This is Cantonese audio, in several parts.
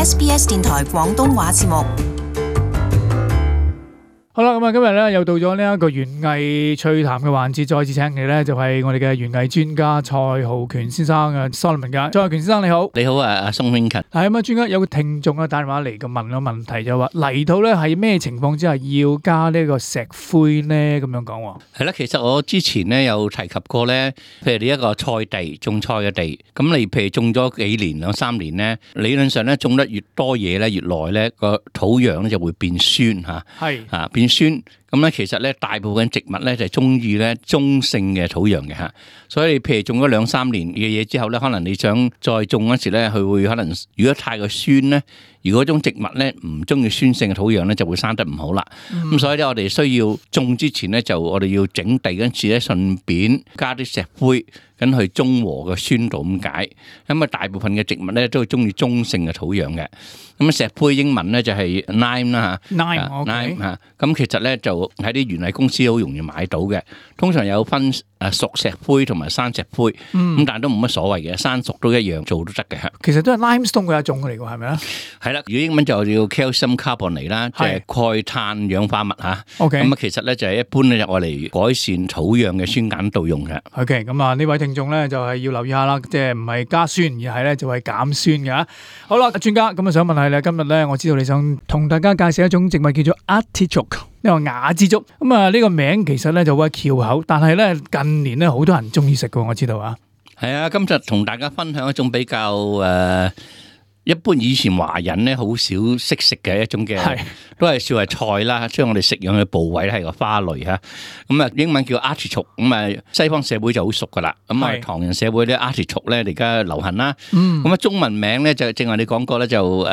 SBS 電台廣東話節目。好啦，咁啊，今日咧又到咗呢一個園藝趣談嘅環節，再次請嚟咧就係我哋嘅園藝專家蔡浩權先生嘅 Solomon 嘅。蔡浩權先生你好，你好啊，阿宋永勤。係咁啊，專家有個聽眾啊打電話嚟嘅問個問題就話泥土咧係咩情況之下要加呢個石灰咧？咁樣講。係啦，其實我之前咧有提及過咧，譬如你一個菜地種菜嘅地，咁你譬如種咗幾年2-3年咧，理論上咧種得越多嘢咧，越耐咧個土壤咧就會變酸嚇，係嚇變酸。咁咧其實咧大部分植物咧就係中意咧中性嘅土壤嘅嚇，所以你譬如種咗2-3年嘅嘢之後咧，可能你想再種嗰時咧，佢會可能如果太過酸咧，如果種植物咧唔中意酸性嘅土壤咧，就會生得唔好啦。咁所以咧，我哋需要種之前咧，就我哋要整地嗰陣時咧，順便加啲石灰，咁去中和個酸度咁解。咁啊，大部分嘅植物咧都係中意中性嘅土壤嘅。咁石灰英文咧就係 lime 啦嚇 ，lime 嚇。咁其實咧就喺啲園藝公司好容易買到嘅。通常有分熟石灰同埋生石灰，咁但係都冇乜所謂嘅，生熟都一樣做都得嘅。其實都係 limestone 嘅一種嚟㗎，係咪啊？係啦，如果英文就叫 calcium carbonate 啦，即係鈣碳氧化物嚇。OK，咁啊其實咧就係一般咧就愛嚟改善土壤嘅酸鹼度用嘅。OK，咁啊呢位聽眾咧就係要留意下啦，即係唔係加酸，而係咧就係減酸嘅。好啦，專家咁啊想問下你，今日咧我知道你想同大家介紹一種植物叫做 artichoke， 呢個雅之竹。咁啊呢個名其實咧就好翹口，但係咧近年咧好多人中意食嘅，我知道啊。係啊，今日同大家分享一種比較一般以前華人咧好少識食嘅一種嘅，都係算係菜啦，即係我哋食用嘅部位咧係個花類嚇。咁啊英文叫 artichoke， 咁啊西方社會就好熟噶啦。咁啊唐人社會咧 artichoke 咧而家流行啦。咁啊中文名咧就正話你講過咧就如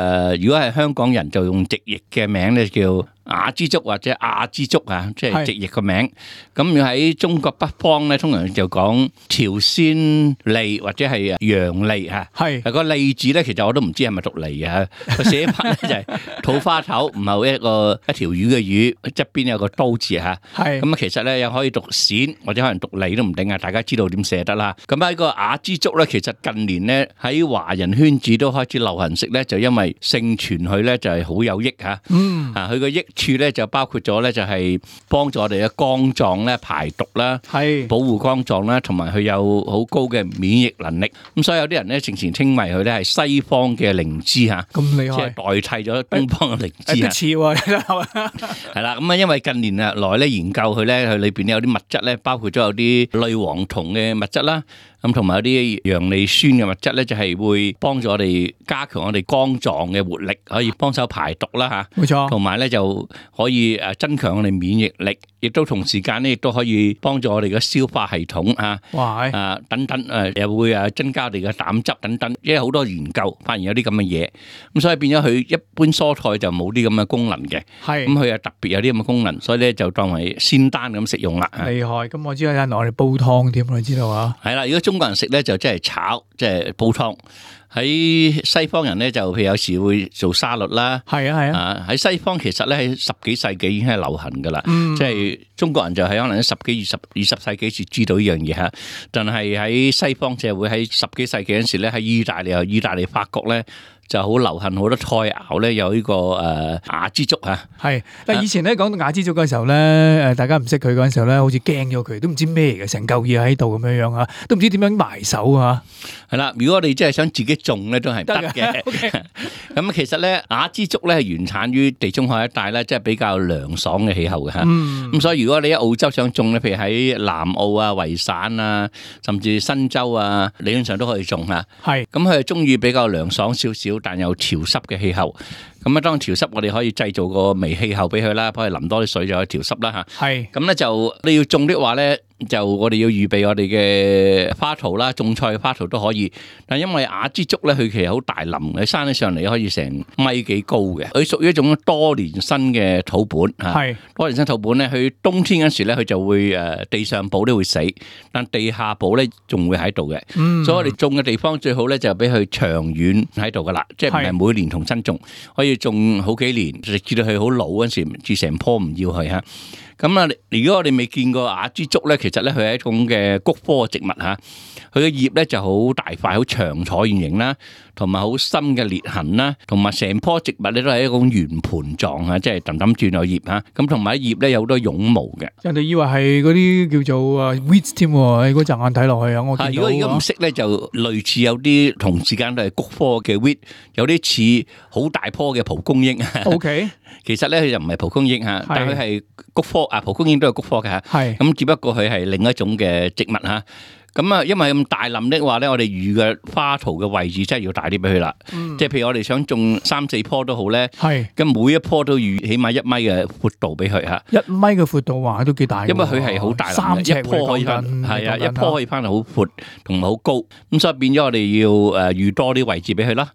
果係香港人就用直譯嘅名咧叫雅之竹或者亞之竹啊，即係直譯個名。咁要喺中國北方咧，通常就講朝鮮蠣或者係洋蠣嚇。係個蠣字咧，其實我都唔知係咪讀蠣啊。個寫法咧就係土花頭，唔係一條魚嘅魚，側邊有個刀字嚇。係咁啊，其實咧又可以讀鱔或者可能讀蠣都唔定啊。大家知道點寫得啦。咁喺個雅之竹咧，其實近年咧喺華人圈子都開始流行食咧，就因為盛傳佢咧就係好有益嚇。佢個益處咧就包括咗咧就係幫助我哋嘅肝臟咧排毒啦，保護肝臟啦，同埋佢有好高嘅免疫能力。咁所以有啲人咧正前稱為佢咧係西方嘅靈芝嚇，咁厲害，即係代替咗東方嘅靈芝啊。似喎，係啦，咁啊因為近年啊來咧研究佢咧，佢裏邊有啲物質咧，包括咗有啲類黃酮嘅物質啦。咁同埋有啲陽利酸嘅物質咧，就係會幫助我哋加強我哋肝臟嘅活力，可以幫手排毒啦嚇。冇錯。同埋咧就可以增強我哋免疫力，亦都同時間咧亦都可以幫助我哋嘅消化系統啊。哇！等等又會增加我哋嘅膽汁等等，因為好多研究發現有啲咁嘅嘢。咁所以變咗佢一般蔬菜就冇啲咁嘅功能嘅。係。咁佢又特別有啲咁嘅功能，所以咧就當為仙丹咁食用啦。厲害！咁我知有人攞嚟煲湯添，你知道啊？係啦，如果中國人食咧就即係炒，即係煲湯。喺西方人咧就譬如有時會做沙律啦。係啊。喺西方其實咧喺10幾世紀已經係流行噶啦。即係中國人就係可能喺10幾20世紀先知道呢樣嘢嚇。但係喺西方社會喺10幾世紀嗰陣時咧，喺意大利、法國咧。就好流行好多菜肴咧，有呢個雅之竹嚇。係，但係以前咧講到雅之竹嘅時候咧，大家唔識佢嗰陣時候咧，好似驚咗佢，都唔知咩嚟嘅，成嚿嘢喺度咁樣樣嚇，都唔知點樣埋手嚇。係啦，如果我哋真係想自己種咧，都係得嘅。咁其實咧，雅之竹咧係原產於地中海一帶咧，即係比較涼爽嘅氣候嘅嚇。咁所以如果你喺澳洲想種咧，譬如喺南澳啊、維省啊，甚至新州啊，理論上都可以種嚇。係。咁佢係中意比較涼爽少少，但有潮濕嘅氣候。咁啊，當潮濕我哋可以製造個微氣候俾佢啦，幫佢淋多啲水就可以調濕啦嚇。係。咁咧就你要種的話咧，就我哋要預備我哋嘅花槽啦，種菜嘅花槽都可以。但因為雅之竹咧，佢其實好大林，你生起上嚟可以成米幾高嘅。佢屬於一種多年生嘅土本嚇。係。多年生土本咧，佢冬天嗰時咧，佢就會地上部都會死，但地下部咧仲會喺度嘅。所以我哋種嘅地方最好咧就俾佢長遠喺度噶啦，即係唔係每年重新種，可以種好幾年，直至到佢好老嗰陣時，至成棵唔要佢嚇。咁啊，如果我哋未見過雅之竹咧，其實咧佢係一種嘅菊科嘅植物嚇，佢嘅葉咧就好大塊、好長、橢圓形啦，同埋好深嘅裂痕啦，同埋成棵植物咧都係一種圓盤狀啊，即係氹氹轉有葉嚇。咁同埋葉咧有好多絨毛嘅。人哋以為係嗰啲叫做weeds 添喎，嗰陣眼睇落去啊，我見到。如果唔識咧，就類似有啲同時間都係菊科嘅 weed，有啲似好大棵嘅蒲公英。OK， 其實咧佢就唔係蒲公英嚇，但係佢係菊科啊，蒲公英都係菊科嘅嚇。係咁，只不過佢係另一種嘅植物嚇。咁啊，因為咁大林的話咧，我哋預嘅花槽嘅位置真係要大啲俾佢啦。即係譬如我哋想種3-4棵都好咧，咁每一棵都預起碼1米嘅闊度俾佢嚇。1米嘅闊度話都幾大。因為佢係好大林，一棵可以翻，係啊，一棵可以翻到好闊同埋好高。咁所以變咗我哋要預多啲位置俾佢啦。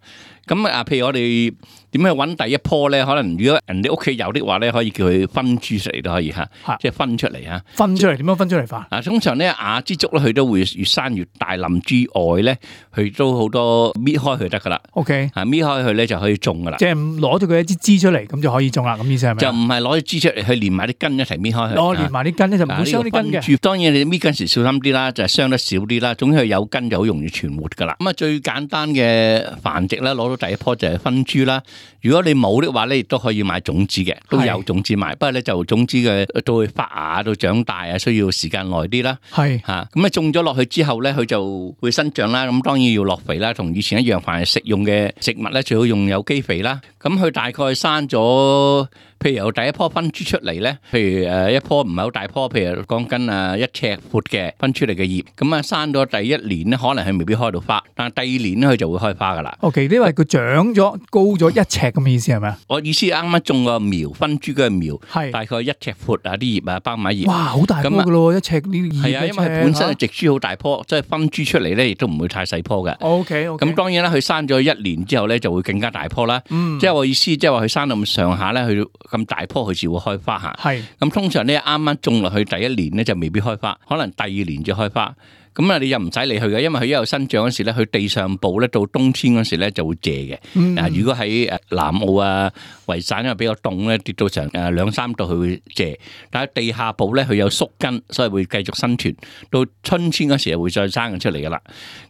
咁啊，譬如我哋點去揾第一棵咧？可能如果人哋屋企有的話咧，可以叫佢分株出嚟都可以嚇，即係分出嚟嚇。分出嚟點樣分出嚟法？通常咧雅之竹咧，佢都會越生越大林之外咧，佢都好多搣開佢得噶啦。OK，搣開佢咧就可以種噶啦。即係攞咗佢一支枝出嚟，咁就可以種啦。咁意思係咪？就唔係攞啲枝出嚟，佢連埋啲根一齊搣開佢。攞連埋啲根咧就唔會傷啲根嘅。當然你搣根時小心啲啦，就係傷得少啲啦。總之佢有根就好容易存活噶啦。咁啊最簡單嘅繁殖咧，攞到第一棵就係分株啦。如果你冇的話咧，亦都可以買種子嘅，都有種子賣。不過咧就種子嘅到去發芽到長大啊，需要時間耐啲啦。係嚇，咁啊種咗落去之後咧，佢就會生長啦。咁當然要落肥啦，同以前一樣，凡係食用嘅植物咧，最好用有機肥啦。咁佢大概生咗，譬如由第一棵分株出嚟咧，譬如一棵唔係好大棵，譬如講緊1尺闊嘅分出嚟嘅葉，咁啊生咗第一年咧，可能佢未必開到花，但係第2年咧佢就會開花噶啦。OK，因為佢長咗高咗1尺咁嘅意思係咪啊？我意思啱啱種個苗分株嘅苗，係大概1尺闊啊，啲葉啊包埋葉。哇，好大棵噶咯，1尺呢啲葉。係啊，因為佢本身係植株好大棵，即係分株出嚟咧，亦都唔會太細棵嘅。OK，咁當然啦，佢生咗1年之後咧，就會更加大棵啦。即係我意思，即係話佢生到咁上下咧，佢咁大棵佢先會開花嚇。係。咁通常咧啱啱種落去第1年咧就未必開花，可能第2年就開花。咁啊，你又唔使理佢嘅，因為佢一路生長嗰時咧，佢地上部咧到冬天嗰時咧就會謝嘅。如果喺南澳啊、維省因為比較凍咧，跌到成2-3度佢會謝。但係地下部咧佢有宿根，所以會繼續生存。到春天嗰時就會再生出嚟噶啦。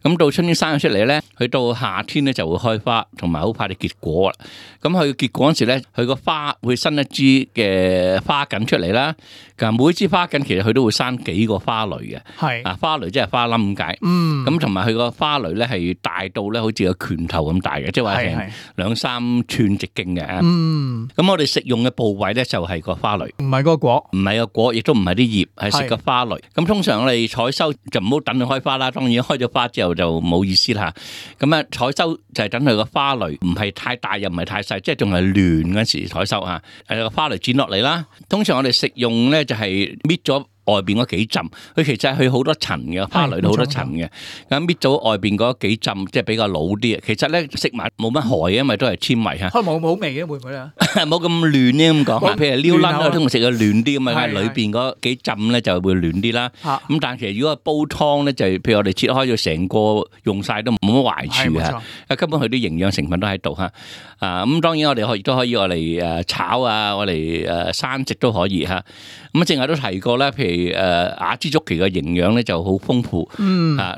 咁到春天生咗出嚟咧，佢到夏天咧就會開花，同埋好快就結果啦。咁佢結果嗰時咧，佢個花會生一支嘅花梗出嚟啦。每支花梗其實佢都會生幾個花蕾嘅。係啊，花蕾即係花冧咁解，咁同埋佢個花蕾咧係大到咧好似個拳頭咁大嘅，即係話成2-3寸直徑嘅。咁我哋食用嘅部位咧就係個花蕾，唔係個果，唔係個果，亦都唔係啲葉，係食個花蕾。咁通常我哋採收就唔好等佢開花啦，當然開咗花之後就冇意思啦。咁啊採收就係等佢個花蕾唔係太大又唔係太細，即係仲係嫩嗰時採收啊。個花蕾剪落嚟啦，通常我哋食用咧就係搣咗外邊嗰幾浸，佢其實係好多層嘅，花蕾都好多層嘅。咁搣咗外邊嗰幾浸，即係比較老啲。其實咧食埋冇乜害嘅，因為都係纖維嚇。可能冇好味嘅會唔會啊？冇咁嫩咧咁講。譬如撩撚啊，通常食嘅嫩啲咁啊，裏邊嗰幾浸咧就會嫩啲啦。咁但係其實如果煲湯咧，就譬如我哋切開咗成個用晒都冇乜壞處嚇。根本佢啲營養成分都喺度嚇。咁當然我哋亦都可以我嚟炒啊，我嚟生食都可以嚇。咁正話都提過啦，譬如雅之竹其嘅營養咧就好豐富。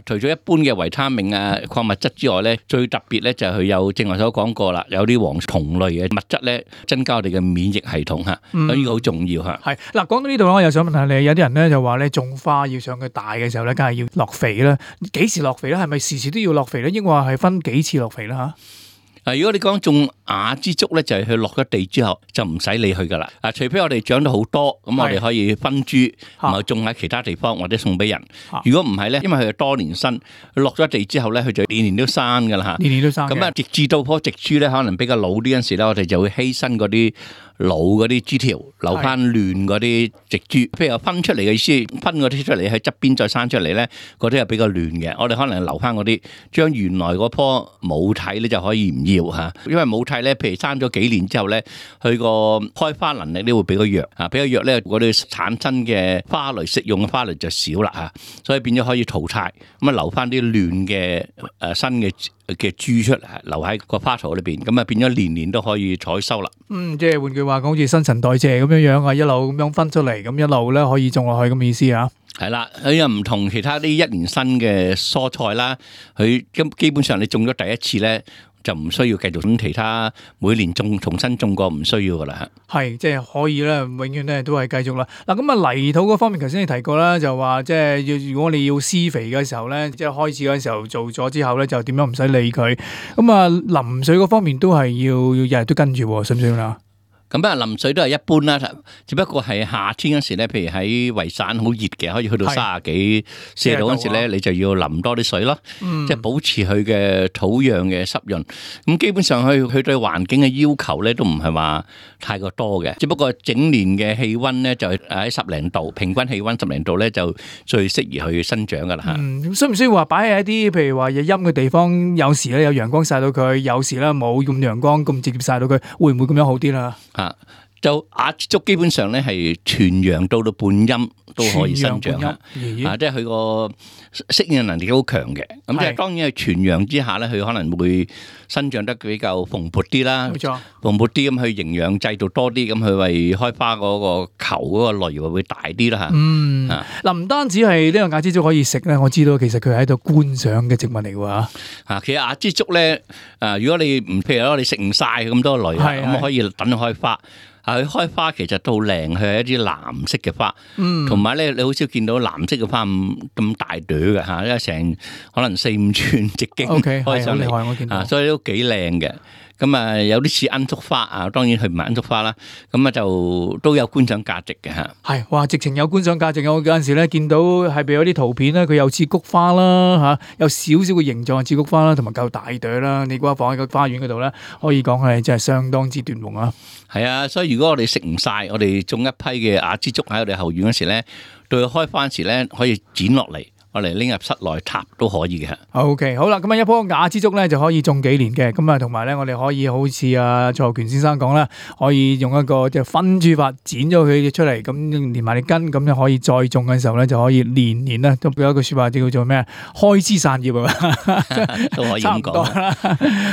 除咗一般嘅維他命啊、礦物質之外咧，最特別咧就係佢有正話所講過啦，有啲黃酮類嘅物質咧，增加我哋嘅免疫系統嚇，所以呢個好重要嚇。係嗱，講到呢度我又想問下你，有啲人咧就話咧種花要上佢大嘅時候咧，梗係要落肥啦。幾時落肥咧？係咪時時都要落肥咧？應該話係分幾次落肥啦嚇？如果你講種雅之竹咧，就係佢落咗地之後就唔使理佢噶啦。除非我哋長到好多，咁我哋可以分株，然後種喺其他地方或者送俾人。如果唔係咧，因為佢係多年生，佢落咗地之後咧，佢就年年都生噶啦嚇。年年都生。咁啊，直至到棵植株咧，可能比較老啲嗰陣時咧，我哋就會犧牲嗰啲老嗰啲枝條，留翻嫩嗰啲植株。譬如分出嚟嘅意思，分嗰啲出嚟喺側邊再生出嚟咧，嗰啲係比較嫩嘅。我哋可能留翻嗰啲，將原來嗰棵母體咧就可以唔要嚇，因為母體菜咧，譬如生咗幾年之後咧，佢個開花能力咧會比較弱啊，比較弱咧，我哋產生嘅花蕾食用嘅花蕾就少啦嚇，所以變咗可以淘汰，咁啊留翻啲嫩嘅新嘅株出嚟，留喺個花槽裏邊，咁啊變咗年年都可以採收啦。即係換句話講，好似新陳代謝咁樣樣啊，一路咁樣分出嚟，咁一路咧可以種落去咁意思啊。係啦，佢又唔同其他啲一年生嘅蔬菜啦，佢基本上你種咗第一次咧，就唔需要繼續咁其他每年重新種過，唔需要噶啦。係，即係可以咧，永遠咧都係繼續啦。嗱，咁啊泥土嗰方面，頭先你提過啦，就話即係如果你要施肥嘅時候咧，即係開始嗰陣時候做咗之後咧，就點樣唔使理佢。咁啊淋水嗰方面都係要日日都跟住，信唔信啊？咁啊，淋水都係一般啦，只不過係夏天嗰時咧，譬如喺維省好熱嘅，可以去到30幾40度嗰時咧，你就要淋多啲水咯，即係保持佢嘅土壤嘅濕潤。咁基本上佢對環境嘅要求咧，都唔係話太過多嘅，只不過整年嘅氣溫咧就喺10零度，平均氣溫10零度咧就最適宜去生長噶啦嚇。需唔需要話擺喺一啲譬如話有陰嘅地方？有時咧有陽光曬到佢，有時咧冇咁陽光咁直接曬到佢，會唔會咁樣好啲啦？就亞枝竹基本上咧係全陽到半陰都可以生長嚇，即係佢個適應能力好強嘅。咁即係當然係全陽之下咧，佢可能會生長得比較蓬勃啲啦。冇錯，蓬勃啲咁，佢營養製造多啲，咁佢為開花嗰個球嗰個類會大啲啦嚇。嗱，唔單止係呢個亞枝竹可以食咧，我知道其實佢係喺度觀賞嘅植物嚟㗎嚇。其實亞枝竹咧，如果你唔譬如你食唔晒咁多類，咁可以等佢開花。佢開花其實都好靚，佢係一啲藍色嘅花，同埋咧你好少見到藍色嘅花咁大朵嘅嚇，因為成可能4-5寸直徑開上嚟，所以都幾靚嘅。咁啊，有啲似罌粟花啊，當然佢唔係罌粟花啦。咁啊，就都有觀賞價值嘅嚇。係，哇！直情有觀賞價值。我有陣時咧見到係咪有啲圖片咧，佢有似菊花啦嚇，有少少嘅形狀似菊花啦，同埋夠大朵啦。你估下放喺個花園嗰度咧，可以講係真係相當之奪目啊！係啊，所以如果我哋食唔晒，我哋種一批嘅亞枝竹喺我哋後院嗰時咧，到佢開花時咧，可以剪落嚟。我嚟拎入室內插都可以嘅。OK， 好啦，咁啊一棵亞枝竹咧就可以種幾年嘅，咁啊同埋咧我哋可以好似阿蔡浩權先生講啦，可以用一個即係分株法剪咗佢出嚟，咁連埋啲根，咁就可以再種嘅時候咧就可以年年咧都有一句説話叫做咩？開枝散葉啊，都可以咁講啦。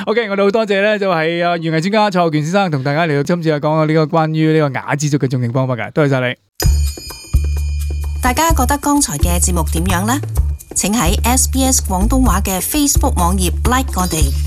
OK， 我哋好多謝咧就係園藝專家蔡浩權先生同大家嚟到今次講下呢個關於呢個亞枝竹嘅種植方法嘅，多謝晒你。大家覺得剛才嘅節目點樣呢？請喺SBS 廣東話嘅 Facebook 網頁 like 我哋。